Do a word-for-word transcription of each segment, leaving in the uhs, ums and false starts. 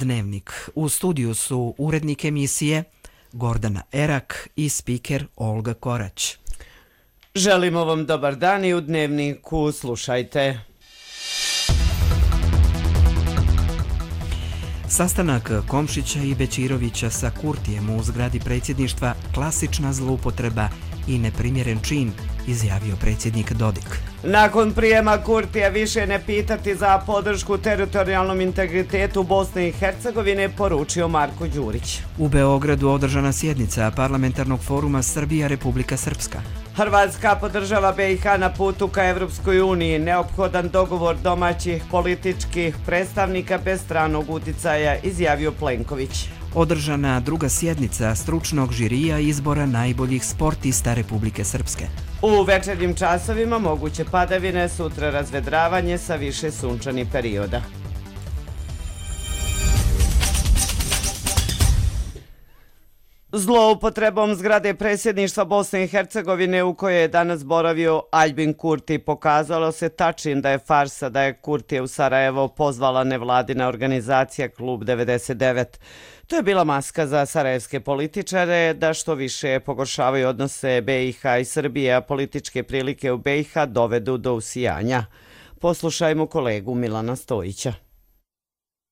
Dnevnik. U studiju su urednik emisije Gordana Erak i spiker Olga Korać. Želimo vam dobar dan i u Dnevniku slušajte. Sastanak Komšića i Bećirovića sa Kurtijem u zgradi predsjedništva klasična zloupotreba i neprimjeren čin, izjavio predsjednik Dodik. Nakon prijema Kurtija više ne pitati za podršku teritorijalnom integritetu Bosne i Hercegovine, poručio Marko Đurić. U Beogradu održana sjednica parlamentarnog foruma Srbija-Republika Srpska. Hrvatska podržava B i H na putu ka Evropskoj uniji. Neophodan dogovor domaćih političkih predstavnika bez stranog uticaja, izjavio Plenković. Održana druga sjednica stručnog žirija izbora najboljih sportista Republike Srpske. U večernjim časovima moguće padavine, sutra razvedravanje sa više sunčanih perioda. Zloupotrebom zgrade predsjedništva Bosne i Hercegovine u kojoj je danas boravio Aljbin Kurti pokazalo se tačin da je farsa da je Kurtije u Sarajevo pozvala nevladina organizacija Klub devedeset devet. To je bila maska za sarajevske političare da što više pogoršavaju odnose B i H i Srbije, a političke prilike u B i H dovedu do usijanja. Poslušajmo kolegu Milana Stojića.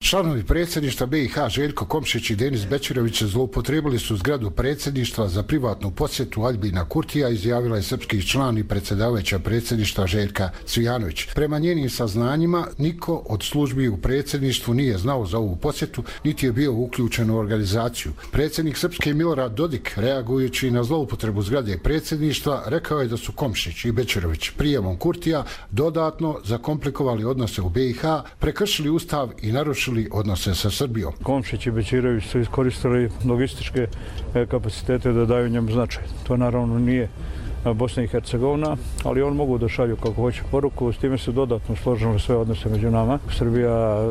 Članovi predsjedništva B i H Željko Komšić i Denis Bećirović zloupotrijebili su zgradu predsjedništva za privatnu posjetu Aljbina Kurtija, izjavila je srpski član i predsjedavajuća predsjedništva Željka Cvijanović. Prema njenim saznanjima, niko od službi u predsjedništvu nije znao za ovu posjetu, niti je bio uključen u organizaciju. Predsjednik Srpske Milorad Dodik, reagujući na zloupotrebu zgrade predsjedništva, rekao je da su Komšić i Bećirović prijemom Kurtija dodatno zakomplikovali odnose u B i H, prekršili ustav i narušili odnose sa Srbijom. Komšić i Bećirović su iskoristili logističke kapacitete da daju njemu značaj. To naravno nije Bosna i Hercegovina, ali on mogu da šalju kako hoće poruku. S time su dodatno složili sve odnose među nama. Srbija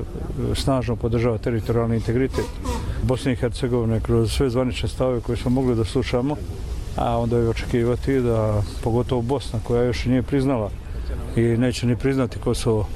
snažno podržava teritorijalni integritet Bosne i Hercegovine kroz sve zvanične stavove koje smo mogli da slušamo, a onda je očekivati da pogotovo Bosna, koja još nije priznala i neće ni priznati Kosovo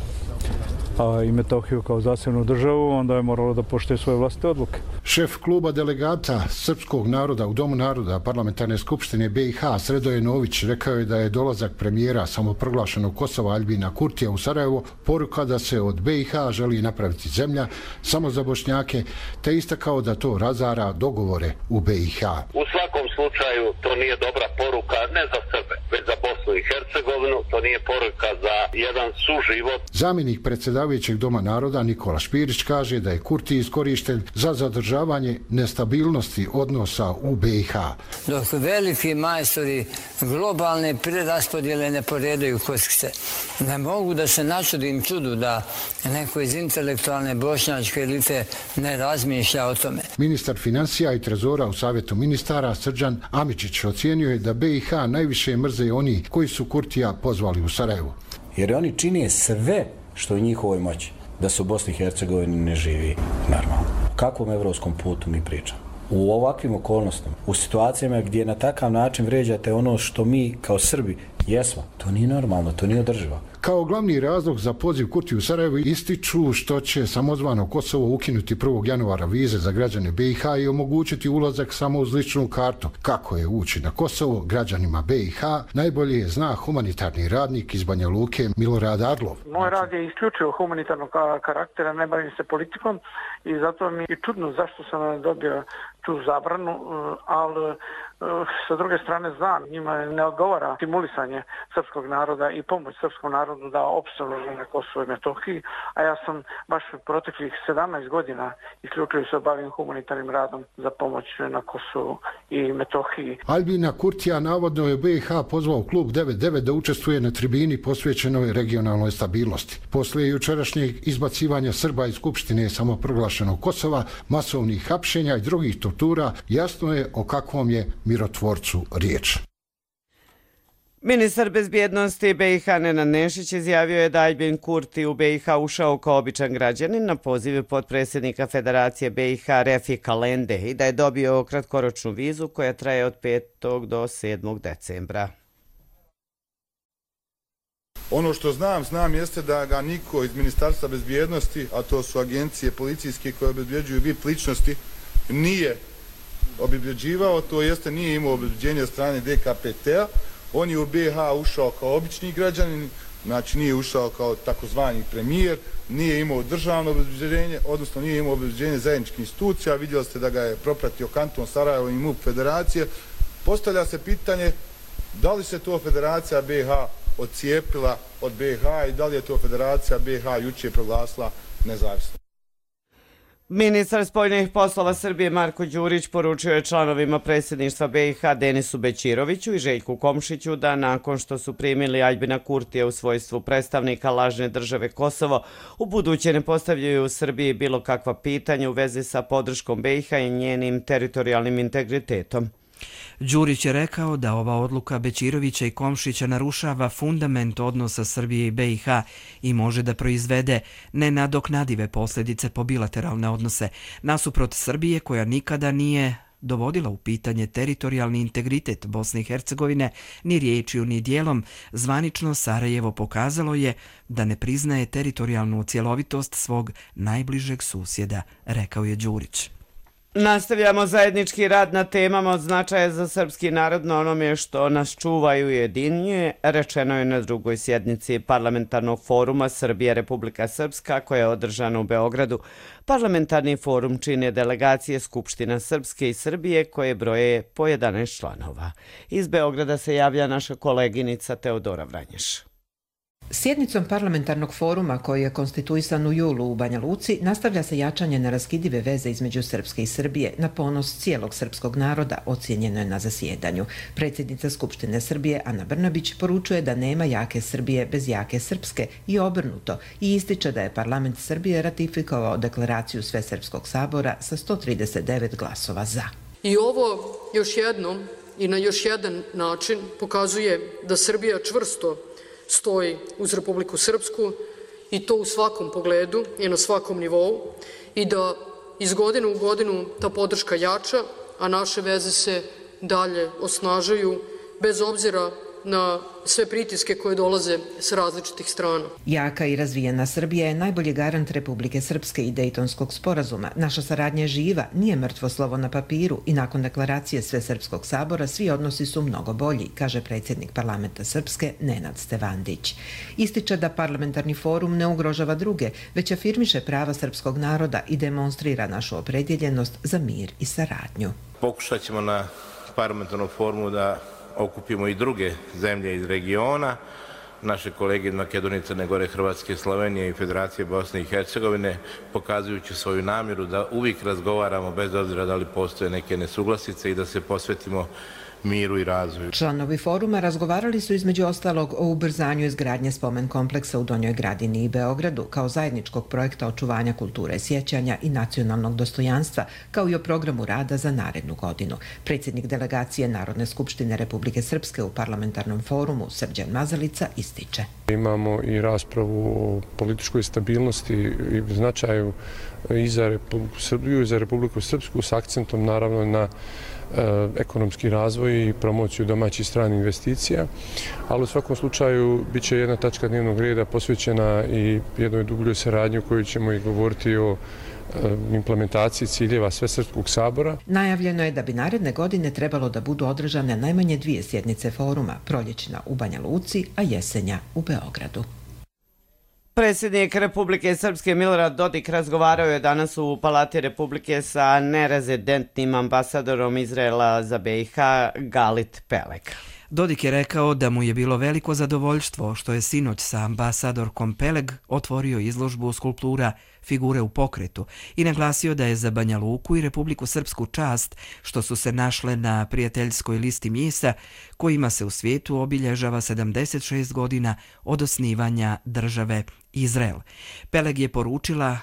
i Metohiju kao zasebnu državu, onda je moralo da poštuje svoje vlastite odluke. Šef kluba delegata srpskog naroda u Domu naroda Parlamentarne skupštine B i H Sredoje Nović rekao je da je dolazak premijera samoproglašenog Kosova Aljbina Kurtija u Sarajevo poruka da se od B i H želi napraviti zemlja samo za Bošnjake, te istakao da to razara dogovore u B i H. U svakom slučaju to nije dobra poruka ne za Srbe, već za Bosnu i Hercegovinu, to nije poruka za jedan suživot. Zamjenik predsjedavajućeg Doma naroda Nikola Špirić kaže da je Kurti iskorišten za zadržavanje nestabilnosti odnosa u B i H. Dok veliki majstori globalne preraspodjele ne poredaju kockice, ne mogu da se načudim čudu da neko iz intelektualne bošnjačke elite ne razmišlja o tome. Ministar financija i trezora u Savjetu ministara Srđan Amičić ocijenio je da B i H najviše mrze oni koji su Kurtija pozvali u Sarajevo. Jer oni čine sve što je u njihovoj moći da se u Bosni i Hercegovini ne živi normalno. O kakvom evropskom putu mi pričamo? U ovakvim okolnostima, u situacijama gdje na takav način vređate ono što mi kao Srbi jesmo, to nije normalno, to nije održivo. Kao glavni razlog za poziv Kurtiju u Sarajevo ističu što će samozvano Kosovo ukinuti prvog januara vize za građane B i H i omogućiti ulazak samo uz ličnu kartu. Kako je ući na Kosovo građanima B i H najbolje zna humanitarni radnik iz Banja Luke Milorad Arlov. Moj rad je isključivo humanitarnog karaktera, ne bavim se politikom i zato mi je čudno zašto sam dobio tu zabranu, ali sa druge strane znam, njima ne odgovara stimulisanje srpskog naroda i pomoć srpskom narodu da opstanu na Kosovo i Metohiji, a ja sam baš proteklih sedamnaest godina isključivo se bavim humanitarnim radom za pomoć na Kosovu i Metohiji. Aljbina Kurtija navodno je B i H pozvao klub devedeset devet da učestvuje na tribini posvećenoj regionalnoj stabilnosti. Poslije jučerašnjeg izbacivanja Srba iz Skupštine samoproglašenog Kosova, masovnih hapšenja i drugih tortura, jasno je o kakvom je mirotvorcu riječ. Ministar bezbjednosti B i H Nenad Nešić izjavio je da Aljbin Kurti u B i H ušao kao običan građanin na poziv potpredsjednika Federacije B i H Refika Lende i da je dobio kratkoročnu vizu koja traje od petog do sedmog decembra. Ono što znam, znam jeste da ga niko iz Ministarstva bezbjednosti, a to su agencije policijske koje obezbjeđuju V I P ličnosti, nije obezbjeđivao, to jeste nije imao obezbjeđenje od strane D K P T-a. On je u B i H ušao kao obični građanin, znači nije ušao kao takozvani premijer, nije imao državno obezbjeđenje, odnosno nije imao obezbjeđenje zajedničkih institucija. Vidjeli ste da ga je propratio kanton Sarajevo i M U P federacije. Postavlja se pitanje da li se to federacija B i H odcijepila od B i H i da li je to federacija B i H jučer proglasila nezavisno. Ministar spoljnih poslova Srbije Marko Đurić poručio je članovima predsjedništva B i H Denisu Bećiroviću i Željku Komšiću da nakon što su primili Aljbina Kurtija u svojstvu predstavnika lažne države Kosovo, u buduće ne postavljaju u Srbiji bilo kakva pitanja u vezi sa podrškom B i H i njenim teritorijalnim integritetom. Đurić je rekao da ova odluka Bećirovića i Komšića narušava fundament odnosa Srbije i B i H i može da proizvede nenadoknadive posljedice po bilateralne odnose, nasuprot Srbije koja nikada nije dovodila u pitanje teritorijalni integritet Bosne i Hercegovine ni riječju ni dijelom. Zvanično Sarajevo pokazalo je da ne priznaje teritorijalnu cjelovitost svog najbližeg susjeda, rekao je Đurić. Nastavljamo zajednički rad na temama od značaja za srpski narod na onome što nas čuva i ujedinjuje, rečeno je na drugoj sjednici Parlamentarnog foruma Srbija-Republika Srpska koja je održana u Beogradu. Parlamentarni forum čine delegacije Skupština Srpske i Srbije koje broje po jedanaest članova. Iz Beograda se javlja naša koleginica Teodora Vranješ. Sjednicom parlamentarnog foruma koji je konstituisan u julu u Banja Luci nastavlja se jačanje neraskidive veze između Srpske i Srbije na ponos cijelog srpskog naroda, ocijenjeno je na zasjedanju. Predsjednica Skupštine Srbije Ana Brnabić poručuje da nema jake Srbije bez jake Srpske i obrnuto i ističe da je parlament Srbije ratifikovao deklaraciju Svesrpskog sabora sa sto trideset devet glasova za. I ovo još jednom i na još jedan način pokazuje da Srbija čvrsto stoji uz Republiku Srpsku i to u svakom pogledu i na svakom nivou i da iz godine u godinu ta podrška jača, a naše veze se dalje osnažuju bez obzira na sve pritiske koje dolaze s različitih strana. Jaka i razvijena Srbija je najbolji garant Republike Srpske i Dejtonskog sporazuma. Naša saradnja je živa, nije mrtvo slovo na papiru i nakon deklaracije Svesrpskog sabora svi odnosi su mnogo bolji, kaže predsjednik parlamenta Srpske Nenad Stevandić. Ističe da parlamentarni forum ne ugrožava druge, već afirmiše prava srpskog naroda i demonstrira našu opredjeljenost za mir i saradnju. Pokušat ćemo na parlamentarnom forumu da okupimo i druge zemlje iz regiona, naše kolege iz Makedonije, Crne Gore, Hrvatske, Slovenije i Federacije Bosne i Hercegovine, pokazujući svoju namjeru da uvijek razgovaramo bez obzira da li postoje neke nesuglasice i da se posvetimo miru i razvoju. Članovi foruma razgovarali su između ostalog o ubrzanju izgradnje spomen kompleksa u Donjoj Gradini i Beogradu kao zajedničkog projekta očuvanja kulture sjećanja i nacionalnog dostojanstva, kao i o programu rada za narednu godinu. Predsjednik delegacije Narodne skupštine Republike Srpske u parlamentarnom forumu Srđan Mazalica ističe. Imamo i raspravu o političkoj stabilnosti i značaju i za Republiku Srbiju i za Republiku Srpsku s akcentom naravno na ekonomski razvoj i promociju domaćih stranih investicija, ali u svakom slučaju bit će jedna tačka dnevnog reda posvećena i jednoj dubljoj saradnji u kojoj ćemo i govoriti o implementaciji ciljeva Svesrpskog sabora. Najavljeno je da bi naredne godine trebalo da budu održane najmanje dvije sjednice foruma, proljećna u Banja Luci, a jesenja u Beogradu. Predsjednik Republike Srpske Milorad Dodik razgovarao je danas u Palati Republike sa nerezidentnim ambasadorom Izraela za B i H Galit Pelek. Dodik je rekao da mu je bilo veliko zadovoljstvo što je sinoć sa ambasadorkom Peleg otvorio izložbu skulptura Figure u pokretu i naglasio da je za Banja Luku i Republiku Srpsku čast što su se našle na prijateljskoj listi mjesta kojima se u svijetu obilježava sedamdeset šest godina od osnivanja države Izrael. Peleg je poručila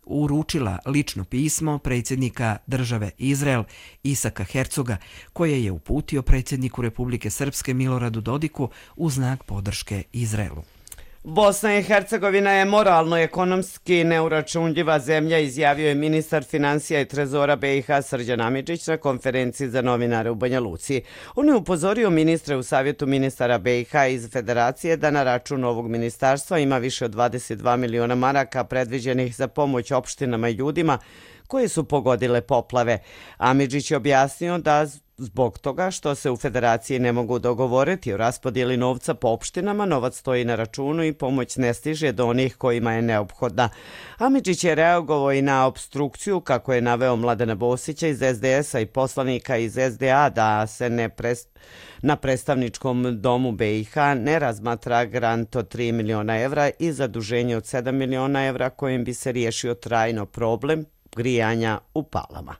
uručila lično pismo predsjednika države Izrael Isaka Hercoga koje je uputio predsjedniku Republike Srpske Miloradu Dodiku u znak podrške Izraelu. Bosna i Hercegovina je moralno ekonomski neuračunljiva zemlja, izjavio je ministar financija i trezora B i H Srđan Amidžić na konferenciji za novinare u Banja Luci. On je upozorio ministre u savjetu ministara B i H iz Federacije da na račun ovog ministarstva ima više od dvadeset dva miliona maraka predviđenih za pomoć opštinama i ljudima koje su pogodile poplave. Amidžić je objasnio da zbog toga što se u Federaciji ne mogu dogovoriti o raspodjeli novca po opštinama, novac stoji na računu i pomoć ne stiže do onih kojima je neophodna. Amidžić je reagovao i na obstrukciju, kako je naveo Mladena Bosića iz S D S-a i poslanika iz S D A da se ne prest... na predstavničkom domu B i H ne razmatra grant od tri miliona evra i zaduženje od sedam miliona evra kojim bi se riješio trajno problem grijanja u palama.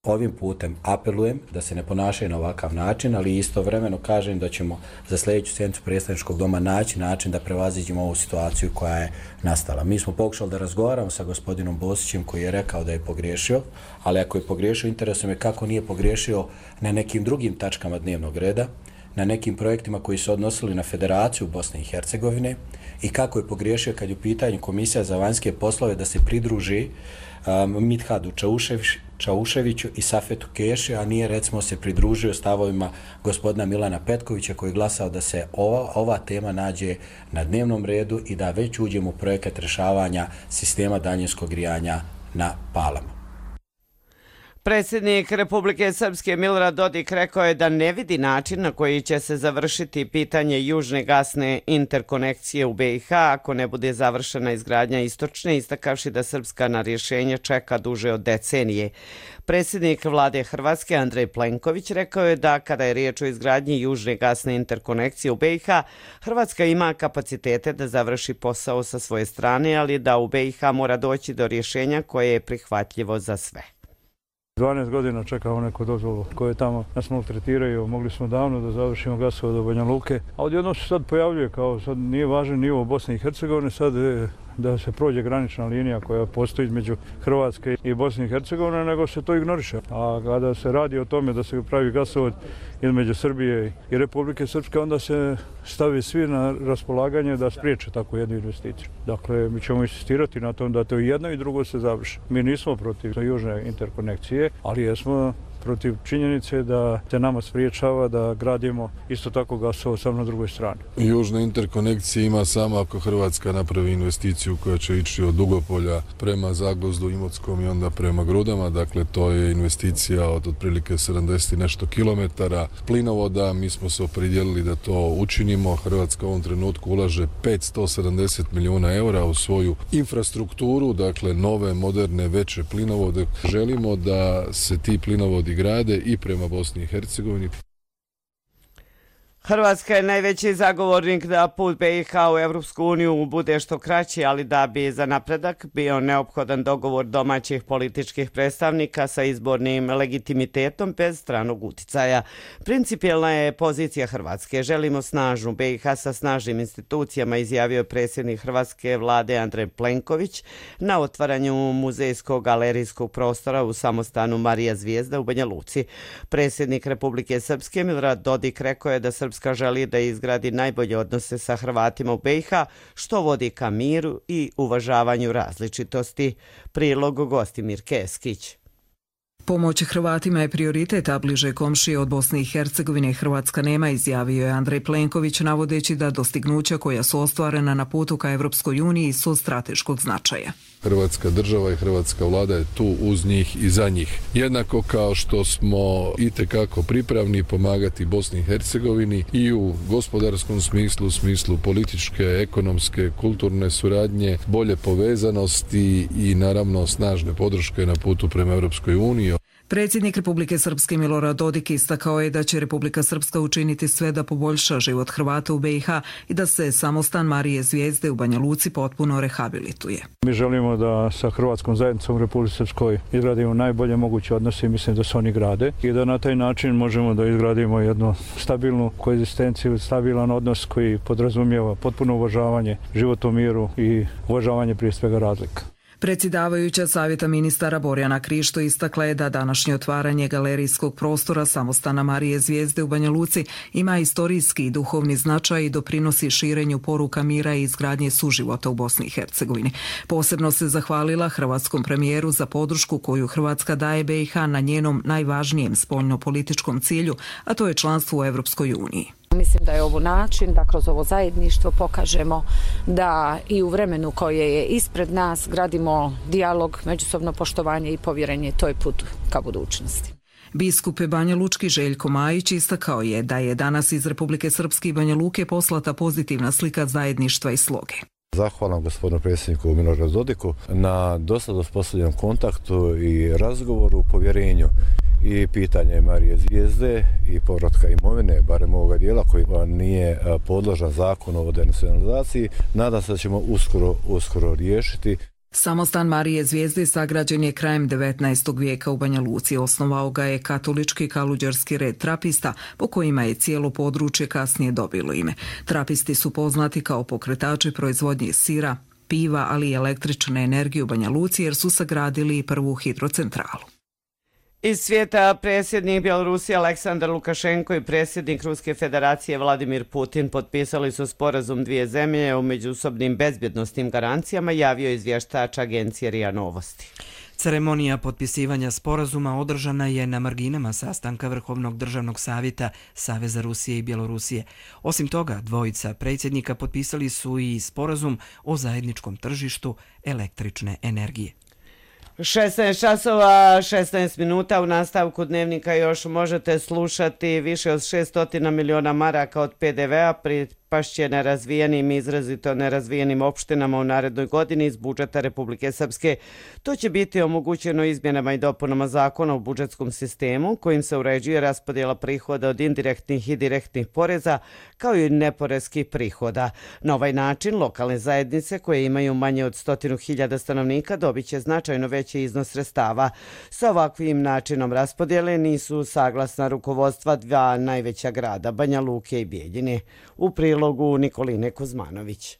Ovim putem apelujem da se ne ponašaju na ovakav način, ali istovremeno kažem da ćemo za sljedeću sjednicu predstavničkog doma naći način da prevaziđemo ovu situaciju koja je nastala. Mi smo pokušali da razgovaramo sa gospodinom Bosićem koji je rekao da je pogriješio, ali ako je pogriješio, interesuje me kako nije pogriješio na nekim drugim tačkama dnevnog reda, na nekim projektima koji su odnosili na Federaciju Bosne i Hercegovine i kako je pogriješio kad je u pitanju Komisija za vanjske poslove da se pridruži um, Midhadu Čauševiću i Safetu Keši, a nije recimo se pridružio stavovima gospodina Milana Petkovića koji je glasao da se ova, ova tema nađe na dnevnom redu i da već uđemo u projekat rješavanja sistema daljinskog grijanja na palama. Predsjednik Republike Srpske Milorad Dodik rekao je da ne vidi način na koji će se završiti pitanje južne gasne interkonekcije u B i H ako ne bude završena izgradnja istočne, istakavši da Srpska na rješenje čeka duže od decenije. Predsjednik vlade Hrvatske Andrej Plenković rekao je da kada je riječ o izgradnji južne gasne interkonekcije u B i H, Hrvatska ima kapacitete da završi posao sa svoje strane, ali da u B i H mora doći do rješenja koje je prihvatljivo za sve. dvanaest godina čekamo neku dozvolu koje tamo nas maltretiraju. Mogli smo davno da završimo gasovod do Banja Luke, a odjednom se sad pojavljuje kao sad nije važan nivo Bosne i Hercegovine, sad da se prođe granična linija koja postoji između Hrvatske i Bosne i Hercegovine, nego se to ignoriše. A kada se radi o tome da se pravi gasovod između Srbije i Republike Srpske, onda se stavi svi na raspolaganje da spriječe takvu jednu investiciju. Dakle, mi ćemo insistirati na tom da to jedno i drugo se završi. Mi nismo protiv južne interkonekcije, ali jesmo protiv činjenice da se nama spriječava da gradimo isto tako gasovod sam na drugoj strani. Južna interkonekcija ima samo ako Hrvatska napravi investiciju koja će ići od Dugopolja prema Zagvozdu, Imotskom i onda prema Grudama. Dakle, to je investicija od otprilike sedamdeset nešto kilometara plinovoda. Mi smo se opredijelili da to učinimo. Hrvatska u ovom trenutku ulaže petsto sedamdeset milijuna eura u svoju infrastrukturu, dakle nove, moderne, veće plinovode. Želimo da se ti plinovodi grade i prema Bosni i Hercegovini. Hrvatska je najveći zagovornik da put B i H u Evropsku uniju bude što kraći, ali da bi za napredak bio neophodan dogovor domaćih političkih predstavnika sa izbornim legitimitetom bez stranog uticaja. Principijelna je pozicija Hrvatske. Želimo snažnu B i H sa snažnim institucijama, izjavio je predsjednik Hrvatske vlade Andrej Plenković na otvaranju muzejskog galerijskog prostora u samostanu Marija Zvijezda u Banja Luci. Predsjednik Republike Srpske Milorad Dodik rekao je da Srpska želi da izgradi najbolje odnose sa Hrvatima u B i H, što vodi ka miru i uvažavanju različitosti. Prilog Gostimir Keskić. Pomoć Hrvatima je prioritet, a bliže komšije od Bosne i Hercegovine Hrvatska nema, izjavio je Andrej Plenković, navodeći da dostignuća koja su ostvarena na putu ka Evropskoj uniji su od strateškog značaja. Hrvatska država i hrvatska vlada je tu uz njih i za njih. Jednako kao što smo itekako pripravni pomagati Bosni i Hercegovini i u gospodarskom smislu, u smislu političke, ekonomske, kulturne suradnje, bolje povezanosti i naravno snažne podrške na putu prema Europskoj uniji. Predsjednik Republike Srpske Milorad Dodik istakao je da će Republika Srpska učiniti sve da poboljša život Hrvata u B i H i da se samostan Marije Zvijezde u Banja Luci potpuno rehabilituje. Mi želimo da sa Hrvatskom zajednicom u Republici Srpskoj izgradimo najbolje moguće odnose i mislim da se oni grade i da na taj način možemo da izgradimo jednu stabilnu koegzistenciju, stabilan odnos koji podrazumijeva potpuno uvažavanje, život u miru i uvažavanje prije svega razlika. Predsjedavajuća Savjeta ministara Borjana Krišto istakla je da današnje otvaranje galerijskog prostora samostana Marije Zvijezde u Banja Luci ima istorijski i duhovni značaj i doprinosi širenju poruka mira i izgradnje suživota u Bosni i Hercegovini. Posebno se zahvalila hrvatskom premijeru za podršku koju Hrvatska daje B i H na njenom najvažnijem spoljnopolitičkom cilju, a to je članstvo u Europskoj uniji. Mislim da je ovo način da kroz ovo zajedništvo pokažemo da i u vremenu koje je ispred nas gradimo dijalog, međusobno poštovanje i povjerenje. To je put ka budućnosti. Biskup Banja Lučki Željko Majić istakao je da je danas iz Republike Srpske i Banja Luke poslata pozitivna slika zajedništva i sloge. Zahvalam gospodinu predsjedniku Miloradu Dodiku na dosad uspostavljenom kontaktu i razgovoru u povjerenju i pitanje Marije Zvijezde i povratka imovine, barem ovoga dijela koji nije podložan zakonu o denacionalizaciji. Nadam se da ćemo uskoro, uskoro riješiti. Samostan Marije Zvijezde sagrađen je krajem devetnaestog vijeka u Banja Luci. Osnovao ga je katolički kaluđerski red trapista, po kojima je cijelo područje kasnije dobilo ime. Trapisti su poznati kao pokretači proizvodnje sira, piva, ali i električne energije u Banja Luci jer su sagradili i prvu hidrocentralu. Iz svijeta predsjednik Bjelorusije Aleksandar Lukašenko i predsjednik Ruske federacije Vladimir Putin potpisali su sporazum dvije zemlje o međusobnim bezbjednosnim garancijama, javio izvještač agencije R I A Novosti. Ceremonija potpisivanja sporazuma održana je na marginama sastanka Vrhovnog državnog savjeta Saveza Rusije i Bjelorusije. Osim toga, dvojica predsjednika potpisali su i sporazum o zajedničkom tržištu električne energije. šesnaest časova, šesnaest minuta. U nastavku dnevnika još možete slušati više od šesto miliona maraka od P D V-a pripašće nerazvijenim i izrazito nerazvijenim opštinama u narednoj godini iz budžeta Republike Srpske. To će biti omogućeno izmjenama i dopunama zakona o budžetskom sistemu kojim se uređuje raspodjela prihoda od indirektnih i direktnih poreza kao i neporeskih prihoda. Na ovaj način lokalne zajednice koje imaju manje od stotinu hiljada stanovnika dobit će značajno veći iznos sredstava. Sa ovakvim načinom raspodjele nisu saglasna rukovodstva dva najveća grada, Banja Luke i Bijeljine. U prilogu Nikoline Kuzmanović.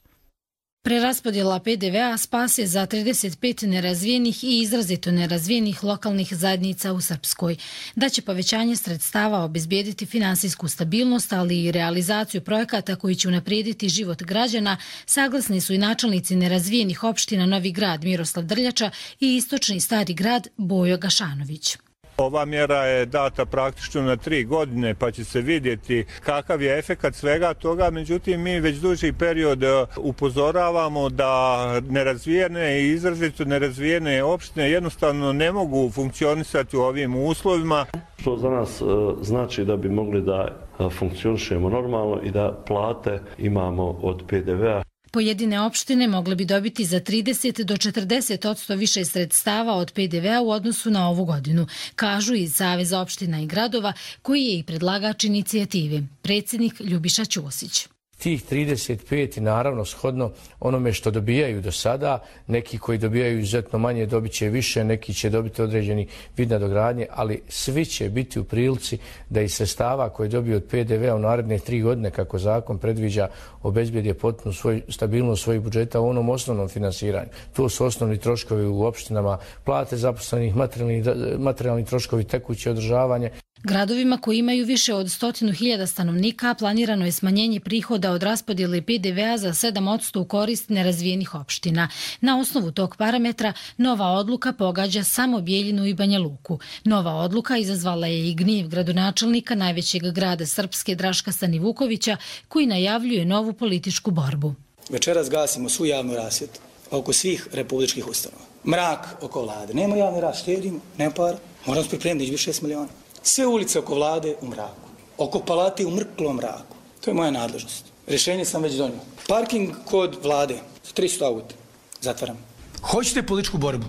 Preraspodjela P D V-a spas je za trideset pet nerazvijenih i izrazito nerazvijenih lokalnih zajednica u Srpskoj. Da će povećanje sredstava obezbijediti finansijsku stabilnost, ali i realizaciju projekata koji će unaprijediti život građana, saglasni su i načelnici nerazvijenih opština Novi Grad Miroslav Drljača i istočni Stari Grad Bojo Gašanović. Ova mjera je data praktično na tri godine pa će se vidjeti kakav je efekat svega toga, međutim mi već duži period upozoravamo da nerazvijene i izrazito nerazvijene opštine jednostavno ne mogu funkcionisati u ovim uslovima. Što za nas znači da bi mogli da funkcionišemo normalno i da plate imamo od P D V-a. Pojedine opštine mogle bi dobiti za trideset do četrdeset odsto više sredstava od P D V-a u odnosu na ovu godinu, kažu iz Saveza opština i gradova, koji je i predlagač inicijative, predsjednik Ljubiša Ćosić. Tih trideset pet naravno shodno onome što dobijaju do sada, neki koji dobijaju izuzetno manje dobit će više, neki će dobiti određeni vid nadogradnje, ali svi će biti u prilici da iz sredstava koje dobiju od P D V-a u naredne tri godine, kako zakon predviđa, obezbijede potpunu svoj, stabilnost svojih budžeta u onom osnovnom finansiranju. To su osnovni troškovi u opštinama, plate zaposlenih, materijalni, materijalni troškovi, tekuće održavanje. Gradovima koji imaju više od stotinu hiljada stanovnika planirano je smanjenje prihoda od raspodjele P D V-a za sedam odsto u korist nerazvijenih opština. Na osnovu tog parametra nova odluka pogađa samo Bijeljinu i Banja Luku. Nova odluka izazvala je i gnjev gradonačelnika najvećeg grada Srpske Draška Stanivukovića, koji najavljuje novu političku borbu. Večeras gasimo svu javnu rasvjetu oko svih republičkih ustanova. Mrak oko vlade. Nema javne rasvjete, štedimo, nema para. Moramo pripremiti više šest miliona. Sve ulice oko vlade u mraku. Oko palate u mrklom mraku. To je moja nadležnost. Rješenje sam već donio. Parking kod vlade. tristo auta. Zatvaram. Hoćete političku borbu?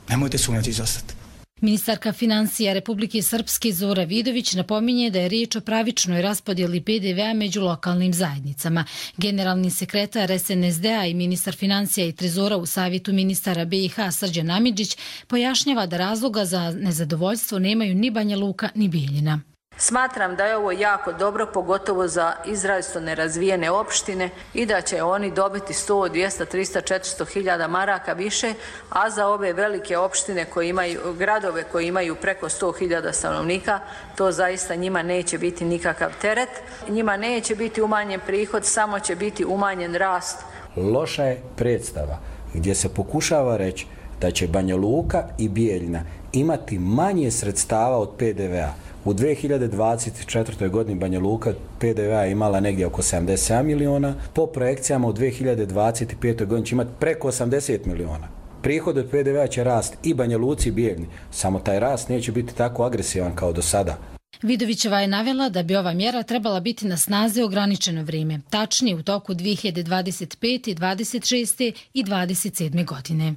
Nemojte sumnjati izostati. Ministarka financija Republike Srpske Zora Vidović napominje da je riječ o pravičnoj raspodjeli P D V-a među lokalnim zajednicama. Generalni sekretar S N S D-a i ministar financija i trezora u Savjetu ministara B i H Srđan Amidžić pojašnjava da razloga za nezadovoljstvo nemaju ni Banja Luka ni Bijeljina. Smatram da je ovo jako dobro, pogotovo za izrazito nerazvijene opštine i da će oni dobiti sto, dvjesto, tristo, četiristo hiljada maraka više, a za ove velike opštine koje imaju, gradove koji imaju preko sto hiljada stanovnika, to zaista njima neće biti nikakav teret. Njima neće biti umanjen prihod, samo će biti umanjen rast. Loša je predstava gdje se pokušava reći da će Banja Luka i Bijeljina imati manje sredstava od P D V-a. U dvije hiljade dvadeset četvrtoj godini Banja Luka P D V-a imala negdje oko sedamdeset sedam miliona, po projekcijama u dvije hiljade dvadeset petoj godini će imati preko osamdeset miliona. Prihod od P D V-a će rast i Banja Luci i Bijeljini, samo taj rast neće biti tako agresivan kao do sada. Vidovićeva je navela da bi ova mjera trebala biti na snazi ograničeno vrijeme, tačnije u toku dvije hiljade dvadeset pete, dvadeset šeste i dvadeset sedme godine.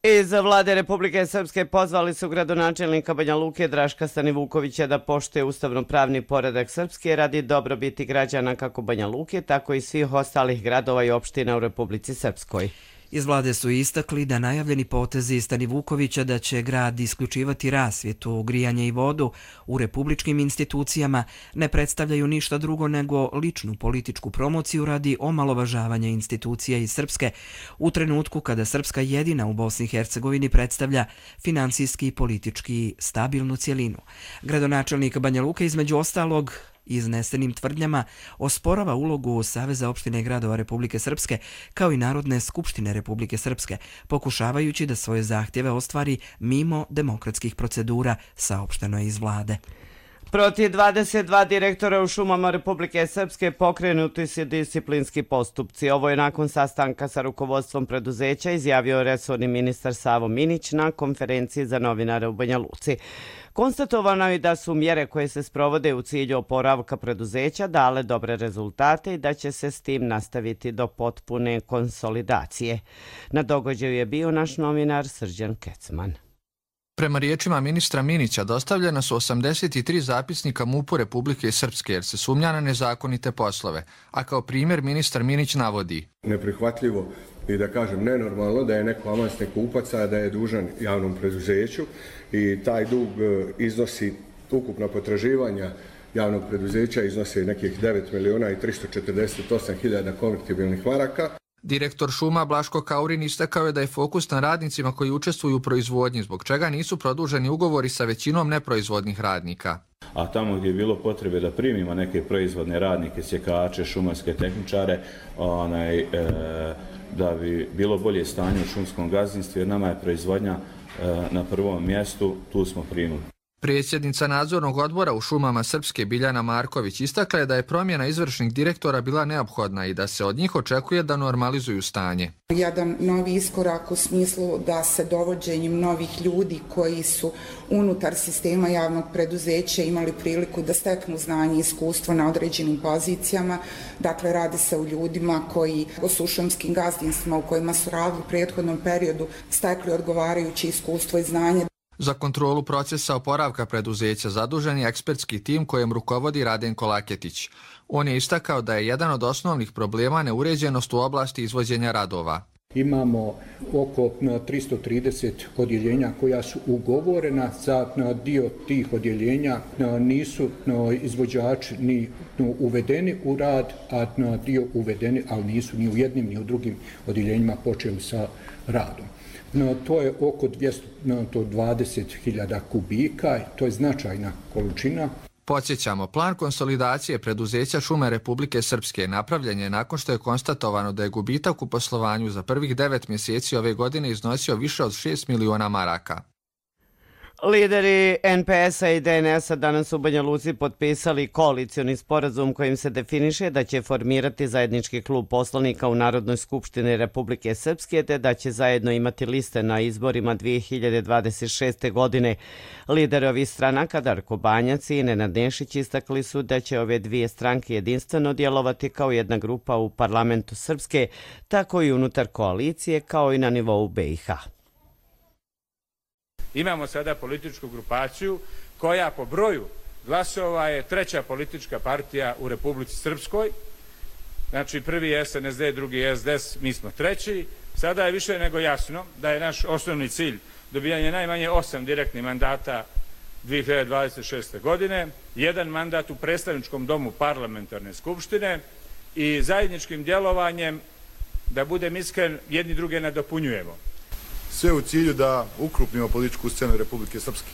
Iz vlade Republike Srpske pozvali su gradonačelnika Banja Luke Draška Stanivukovića da poštuje ustavno-pravni poredak Srpske radi dobrobiti građana kako Banja Luke, tako i svih ostalih gradova i opština u Republici Srpskoj. Iz vlade su istakli da najavljeni potezi Stanivukovića da će grad isključivati rasvjetu, grijanje i vodu u republičkim institucijama ne predstavljaju ništa drugo nego ličnu političku promociju radi omalovažavanja institucija iz Srpske u trenutku kada Srpska jedina u Bosni i Hercegovini predstavlja finansijski i politički stabilnu cjelinu. Gradonačelnik Banja Luke između ostalog iznesenim tvrdnjama osporava ulogu Saveza opštine i gradova Republike Srpske kao i Narodne skupštine Republike Srpske, pokušavajući da svoje zahtjeve ostvari mimo demokratskih procedura, saopšteno je iz vlade. Protiv dvadeset dva direktora u šumama Republike Srpske pokrenuti su disciplinski postupci. Ovo je nakon sastanka sa rukovodstvom preduzeća izjavio resorni ministar Savo Minić na konferenciji za novinare u Banja Luci. Konstatovano je da su mjere koje se sprovode u cilju oporavka preduzeća dale dobre rezultate i da će se s tim nastaviti do potpune konsolidacije. Na događaju je bio naš novinar Srđan Kecman. Prema riječima ministra Minića dostavljena su osamdeset tri zapisnika MUP-u Republike Srpske jer se sumnja na nezakonite poslove, a kao primjer ministar Minić navodi: neprihvatljivo i da kažem nenormalno da je neko avansni kupac, a da je dužan javnom preduzeću i taj dug iznosi ukupna potraživanja javnog preduzeća iznosi nekih devet miliona i tristo četrdeset osam hiljada konvertibilnih maraka. Direktor šuma Blaško Kaurin istakao je da je fokus na radnicima koji učestvuju u proizvodnji, zbog čega nisu produženi ugovori sa većinom neproizvodnih radnika. A tamo gdje je bilo potrebe da primimo neke proizvodne radnike, sjekače, šumarske tehničare, onaj, e, da bi bilo bolje stanje u šumskom gazdinstvu, jer nama je proizvodnja e, na prvom mjestu, tu smo primili. Predsjednica nadzornog odbora u šumama Srpske Biljana Marković istakla je da je promjena izvršnih direktora bila neophodna i da se od njih očekuje da normalizuju stanje. Jedan novi iskorak u smislu da se dovođenjem novih ljudi koji su unutar sistema javnog preduzeća imali priliku da steknu znanje i iskustvo na određenim pozicijama. Dakle, radi se o ljudima koji su u šumskim gazdinstvima u kojima su radili u prethodnom periodu stekli odgovarajuće iskustvo i znanje. Za kontrolu procesa oporavka preduzeća zadužen je ekspertski tim kojem rukovodi Radenko Laketić. On je istakao da je jedan od osnovnih problema neuređenost u oblasti izvođenja radova. Imamo oko tristo trideset odjeljenja koja su ugovorena, za dio tih odjeljenja nisu izvođači ni uvedeni u rad, a dio uvedeni, ali nisu ni u jednim ni u drugim odjeljenjima počeli sa radom. No, to je oko dvjesto dvadeset hiljada kubika, to je značajna količina. Podsjećamo, plan konsolidacije preduzeća Šume Republike Srpske napravljen je nakon što je konstatovano da je gubitak u poslovanju za prvih devet mjeseci ove godine iznosio više od šest miliona maraka. Lideri N P S-a i D N S-a danas u Banja Luci potpisali koalicioni sporazum kojim se definiše da će formirati zajednički klub poslanika u Narodnoj skupštini Republike Srpske te da će zajedno imati liste na izborima dvije hiljade dvadeset šeste. godine. Lideri ovih stranaka Darko Banjac i Nenad Nešić istakli su da će ove dvije stranke jedinstveno djelovati kao jedna grupa u parlamentu Srpske, tako i unutar koalicije kao i na nivou B i H. Imamo sada političku grupaciju koja po broju glasova je treća politička partija u Republici Srpskoj. Znači prvi je S N S D, drugi je S D S, mi smo treći. Sada je više nego jasno da je naš osnovni cilj dobijanje najmanje osam direktnih mandata dvije hiljade dvadeset šeste. godine, jedan mandat u predstavničkom domu parlamentarne skupštine i zajedničkim djelovanjem, da budem iskren, jedni druge nadopunjujemo. Sve u cilju da ukrupnimo političku scenu Republike Srpske.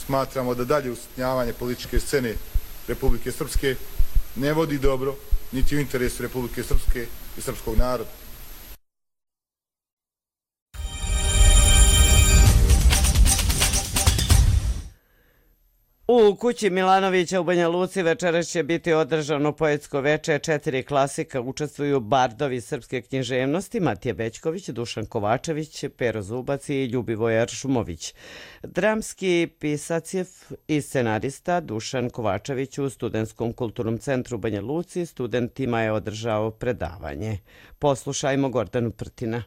Smatramo da dalje usitnjavanje političke scene Republike Srpske ne vodi dobro, niti u interesu Republike Srpske i srpskog naroda. U kući Milanovića u Banja Luci večeras će biti održano poetsko veče. Četiri klasika učestvuju bardovi srpske književnosti Matija Bećković, Dušan Kovačević, Pero Zubac i Ljubivoje Šumović. Dramski pisac je i scenarista Dušan Kovačević u Studentskom kulturnom centru u Banja Luci studentima je održao predavanje. Poslušajmo Gordanu Prtina.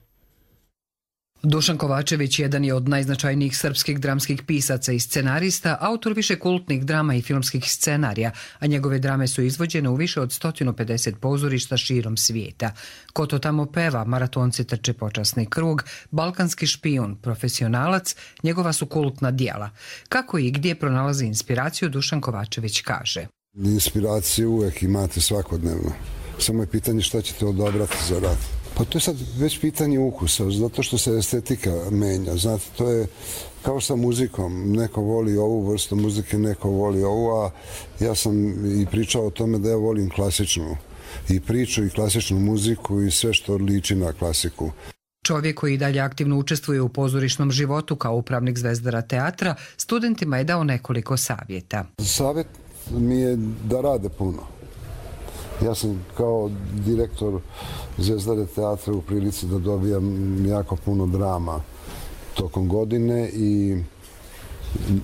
Dušan Kovačević jedan je od najznačajnijih srpskih dramskih pisaca i scenarista, autor više kultnih drama i filmskih scenarija, a njegove drame su izvođene u više od sto pedeset pozorišta širom svijeta. Ko to tamo peva, Maratonci trče počasni krug, Balkanski špijun, Profesionalac, njegova su kultna djela. Kako i gdje pronalazi inspiraciju, Dušan Kovačević kaže. Inspiraciju uvijek imate svakodnevno. Samo je pitanje šta ćete odabrati za rad. Pa to je sad već pitanje ukusa, zato što se estetika menja. Znate, to je kao sa muzikom. Neko voli ovu vrstu muzike, neko voli ovu, a ja sam i pričao o tome da ja volim klasičnu i priču i klasičnu muziku i sve što liči na klasiku. Čovjek koji dalje aktivno učestvuje u pozorišnom životu kao upravnik Zvezdara teatra, studentima je dao nekoliko savjeta. Savjet mi je da rade puno. Ja sam kao direktor Zvezdare teatra u prilici da dobijam jako puno drama tokom godine i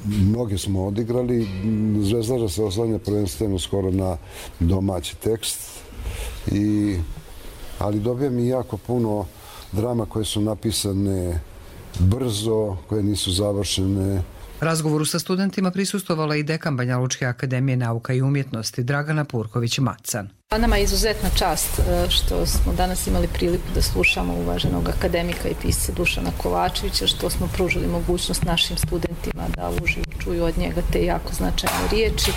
mnoge smo odigrali. Zvezdara se oslanja prvenstveno skoro na domaći tekst, i, ali dobijam i jako puno drama koje su napisane brzo, koje nisu završene. Razgovoru sa studentima prisustvovala i dekan Banja Lučke akademije nauka i umjetnosti Dragana Purković-Macan. Nama je izuzetna čast što smo danas imali priliku da slušamo uvaženog akademika i pisca Dušana Kovačevića, što smo pružili mogućnost našim studentima da uživo čuju od njega te jako značajne riječi.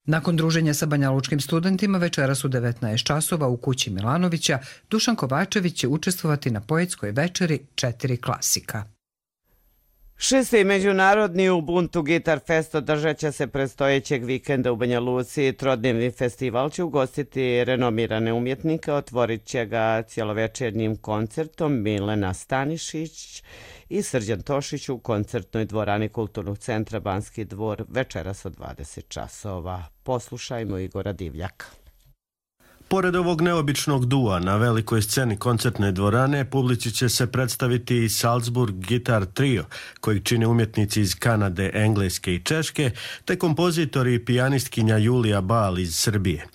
Nakon druženja sa banjalučkim studentima večeras u devetnaest časova u kući Milanovića Dušan Kovačević će učestvovati na poetskoj večeri Četiri klasika. Šesti međunarodni Ubuntu Gitar Fest održat će se predstojećeg vikenda u Banja Luci. Trodnevni festival će ugostiti renomirane umjetnike, otvorit će ga cjelovečernjim koncertom Milena Stanišić i Srđan Tošić u koncertnoj dvorani Kulturnog centra Banski dvor večeras od dvadeset časova. Poslušajmo Igora Divljaka. Pored ovog neobičnog dua na velikoj sceni koncertne dvorane, publici će se predstaviti i Salzburg Guitar Trio, kojeg čine umjetnici iz Kanade, Engleske i Češke, te kompozitori i pijanistkinja Julija Bal iz Srbije.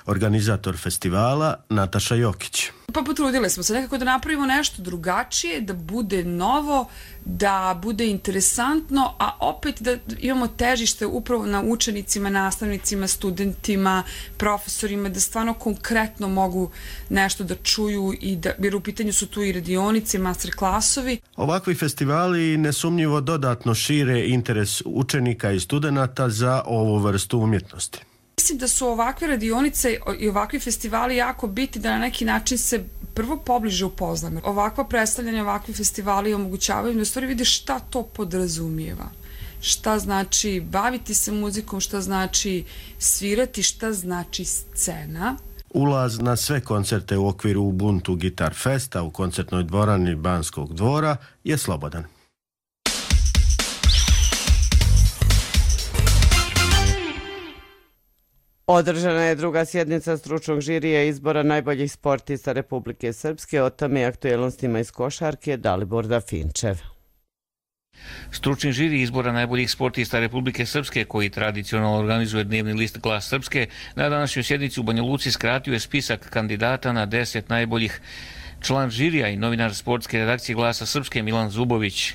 Organizator festivala Nataša Jokić. Pa potrudili smo se nekako da napravimo nešto drugačije, da bude novo, da bude interesantno, a opet da imamo težište upravo na učenicima, nastavnicima, studentima, profesorima, da stvarno konkretno mogu nešto da čuju, i da, jer u pitanju su tu i radionice, master klasovi. Ovakvi festivali nesumnjivo dodatno šire interes učenika i studenata za ovu vrstu umjetnosti. Mislim da su ovakve radionice i ovakvi festivali jako bitni da na neki način se prvo pobliže upoznamo. Ovakva predstavljanja, ovakvi festivali omogućavaju da u stvari vide šta to podrazumijeva. Šta znači baviti se muzikom, šta znači svirati, šta znači scena. Ulaz na sve koncerte u okviru Ubuntu Gitar Festa u koncertnoj dvorani Banskog dvora je slobodan. Održana je druga sjednica stručnog žirija izbora najboljih sportista Republike Srpske. O tome i aktuelnostima iz košarke Dalibor Dafinčev. Stručni žiri izbora najboljih sportista Republike Srpske, koji tradicionalno organizuje dnevni list Glas Srpske, na današnjoj sjednici u Banja Luci skratio je spisak kandidata na deset najboljih. Član žirija i novinar sportske redakcije Glasa Srpske Milan Zubović.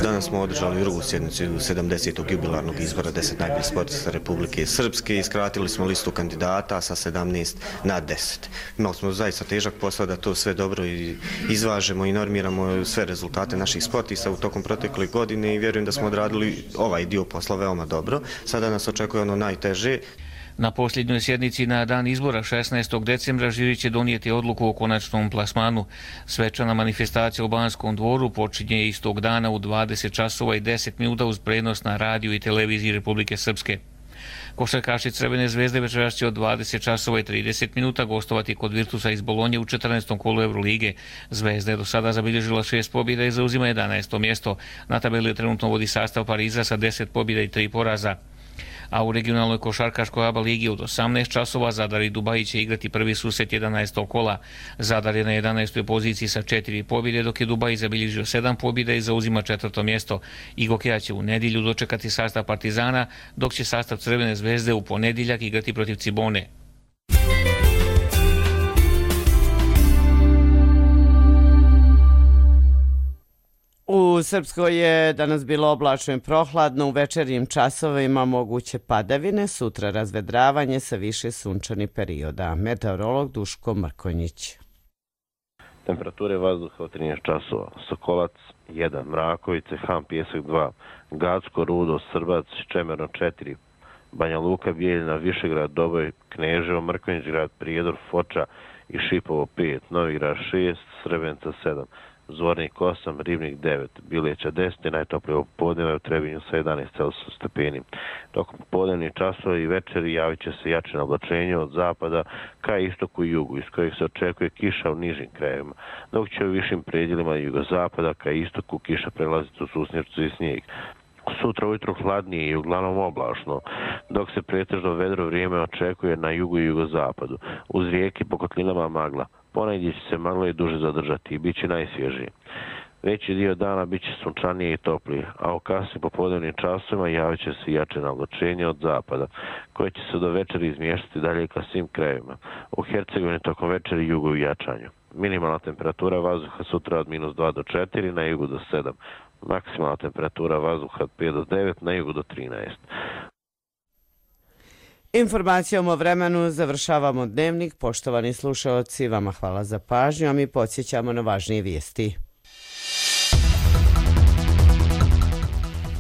Danas smo održali drugu sjednicu sedamdesetog jubilarnog izbora deset najboljih sportista Republike Srpske i skratili smo listu kandidata sa sedamnaest na deset. Imali smo zaista težak posao da to sve dobro izvažemo i normiramo sve rezultate naših sportista u tokom protekle godine i vjerujem da smo odradili ovaj dio posla veoma dobro. Sada nas očekuje ono najteže. Na posljednjoj sjednici na dan izbora šesnaestog decembra žiri će donijeti odluku o konačnom plasmanu. Svečana manifestacija u Banskom dvoru počinje istog dana u dvadeset časova i deset minuta uz prenos na radiju i televiziji Republike Srpske. Košarkaši Crvene zvezde večeras će od dvadeset časova i trideset minuta gostovati kod Virtusa iz Bolonje u četrnaestom kolu Eurolige. Zvezda je do sada zabilježila šest pobjeda i zauzima jedanaesto mjesto. Na tabeli trenutno vodi sastav Pariza sa deset pobjeda i tri poraza. A u regionalnoj košarkaškoj ABA ligi od osamnaest časova Zadar i Dubaji će igrati prvi susret jedanaestog kola. Zadar je na jedanaestoj poziciji sa četiri pobjede, dok je Dubaji zabilježio sedam pobjeda i zauzima četvrto mjesto. Igokeja će u nedjelju dočekati sastav Partizana, dok će sastav Crvene zvezde u ponedjeljak igrati protiv Cibone. U Srpskoj je danas bilo oblačno i prohladno, u večernjim časovima moguće padavine, sutra razvedravanje sa više sunčanih perioda. Meteorolog Duško Mrkonjić. Temperature vazduha od trinaest časova. Sokolac jedan, Mrakovice, Han Pjesak dva, Gacko, Rudo, Srbac, Čemerno četiri, Banja Luka, Bijeljina, Višegrad, Doboj, Kneževo, Mrkonjić grad, Prijedor, Foča i Šipovo pet, Novigrad šest, Srebrnica sedam, Zvornik osam, Ribnik devet, Bileća deset, najtoplije popodneva u Trebinju sa jedanaest stepeni. Tokom popodnevnih časova i večeri javit će se jače oblačenje od zapada ka istoku i jugu, iz kojeg se očekuje kiša u nižim krajevima, dok će u višim predjelima jugozapada ka istoku kiša prelaziti u susnjercu i snijeg. Sutra ujutro hladnije i uglavnom oblačno, dok se pretežno vedro vrijeme očekuje na jugu i jugozapadu. Uz rijeke po kotlinama magla. Ponegdje će se magla i duže zadržati i bit će najsvježije. Veći dio dana bit će sunčanije i toplije, a u kasnim popodnevnim časovima javit će se jače navlačenje od zapada, koje će se do večeri izmještati dalje ka svim krajevima. U Hercegovini tokom večeri jugu u jačanju. Minimalna temperatura vazduha sutra od minus dva do četiri, na jugu do sedam. Maksimalna temperatura vazduha od pet do devet, na jugu do trinaest. Informacijom o vremenu završavamo dnevnik. Poštovani slušaoci, vama hvala za pažnju, a mi podsjećamo na važnije vijesti.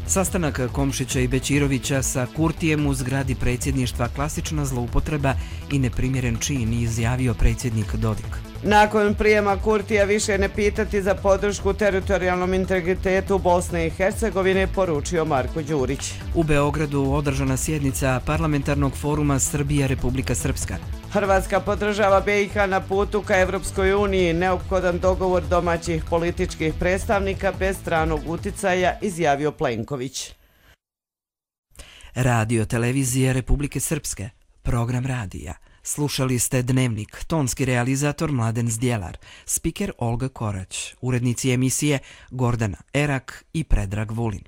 Sastanak Komšića i Bećirovića sa Kurtijem u zgradi predsjedništva klasična zloupotreba i neprimjeren čin, izjavio predsjednik Dodik. Nakon prijema Kurtija više ne pitati za podršku teritorijalnom integritetu Bosne i Hercegovine, poručio Marko Đurić. U Beogradu održana sjednica parlamentarnog foruma Srbija-Republika Srpska. Hrvatska podržava B i H na putu ka Evropskoj uniji, neophodan dogovor domaćih političkih predstavnika bez stranog uticaja, izjavio Plenković. Radio televizije Republike Srpske, program radija. Slušali ste Dnevnik, tonski realizator Mladen Zdjelar, spiker Olga Korać, urednici emisije Gordana Erak i Predrag Vulin.